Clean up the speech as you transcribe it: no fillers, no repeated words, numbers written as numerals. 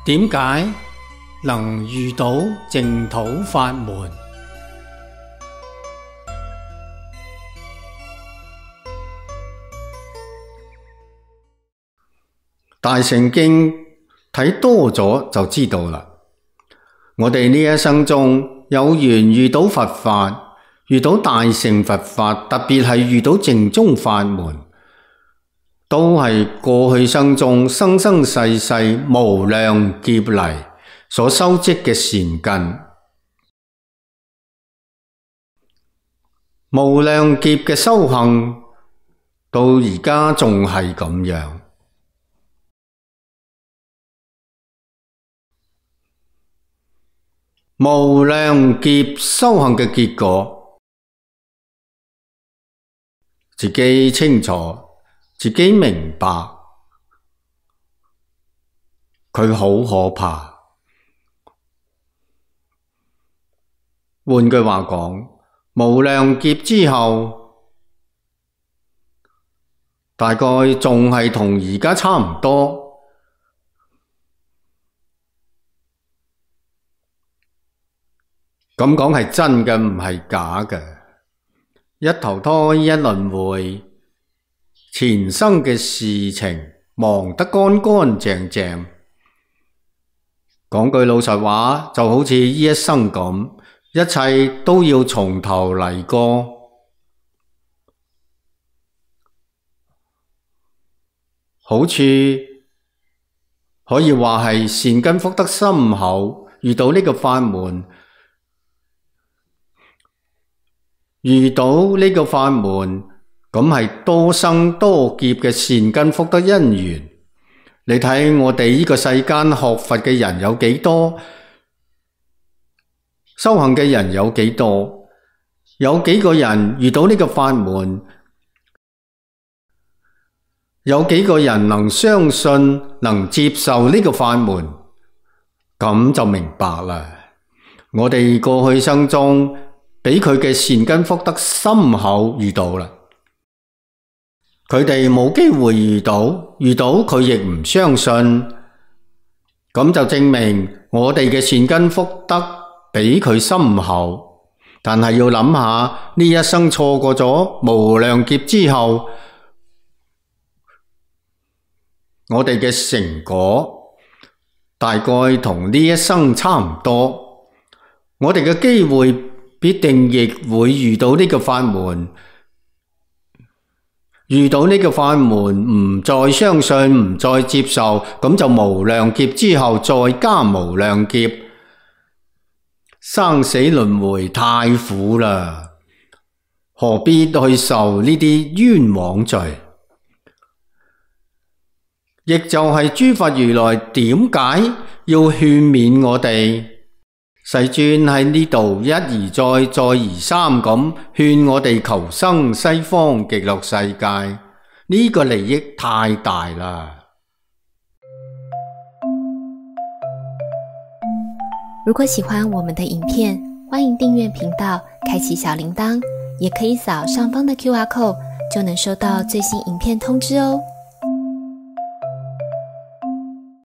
點解能遇到淨土法門？大乘經睇多咗就知道啦。我哋呢一生中有緣遇到佛法，遇到大乘佛法，特別係遇到淨宗法門，都係過去生中生生世世無量劫嚟所修積嘅善根。無量劫嘅修行到而家仲係咁樣。無量劫修行嘅結果，自己清楚，自己明白，佢好可怕。換句話講，無量劫之後，大概仲係同而家差唔多。咁講係真嘅，唔係假嘅。一投胎一輪迴，前生嘅事情忘得乾乾淨淨。講句老實話，就好似呢一生咁，一切都要從頭嚟過。好處可以話係善根福德深厚，遇到呢個法門。遇到呢個法門，咁係多生多劫嘅善根福德因緣。你睇我哋呢個世間學佛嘅人有幾多，修行嘅人有幾多，有幾個人遇到呢個法門，有幾個人能相信能接受呢個法門，咁就明白啦。我哋過去生中俾佢嘅善根福德深厚遇到啦，佢哋冇機會遇到佢亦唔相信，咁就證明我哋嘅善根福德比佢深厚。但係要諗下，呢一生錯過咗無量劫之後，我哋嘅成果大概同呢一生差唔多，我哋嘅機會必定亦會遇到呢個法門，遇到呢個法門唔再相信，唔再接受，咁就無量劫之後再加無量劫，生死輪迴太苦啦，何必去受呢啲冤枉罪？亦就係諸佛如來點解要勸勉我哋？世尊喺呢度一而再，再而三咁勸我哋求生西方極樂世界，呢個利益太大啦。如果喜歡我們的影片，歡迎訂閱頻道，開啟小鈴鐺，也可以掃上方的QR code，就能收到最新影片通知哦。